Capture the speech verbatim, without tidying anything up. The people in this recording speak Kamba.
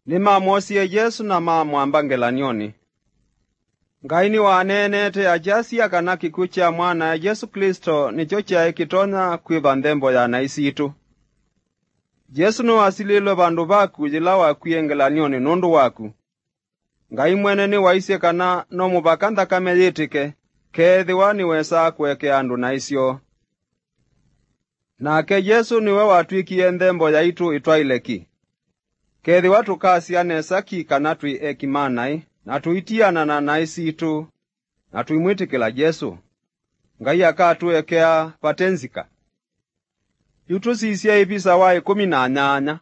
Nĩmamwosie Yesũ na mamwamba ngelany'onĩ. Ngai nĩwaneenete akyasya kana kĩkw'ũ kya Mwanae Yesũ Klĩsto nĩkyo kyaĩ kĩtonya kwĩva nthembo ya naĩ sitũ. Yesũ nĩwasilĩlwe vandũ vaku yĩla wakwie ngelany'onĩ nũndũ waku. Ngai mwene nĩwaisye kana no mũvaka nthakame yĩtĩke, keethĩwa nĩwesaa kũekea andũ naĩ syoo. Nake Yesũ nĩwe watw'ĩkie nthembo yaitũ ĩtwaĩle ki. Kethĩwa tũkasya nesa ki kana twĩ eki ma naĩ, na tũitiana na naĩ sitũ, na tũimwĩtĩkĩla Yesũ, Ngai akatũekea vate nzika. Yu tũsisye ĩvisa wa ĩkũmi na nyanya.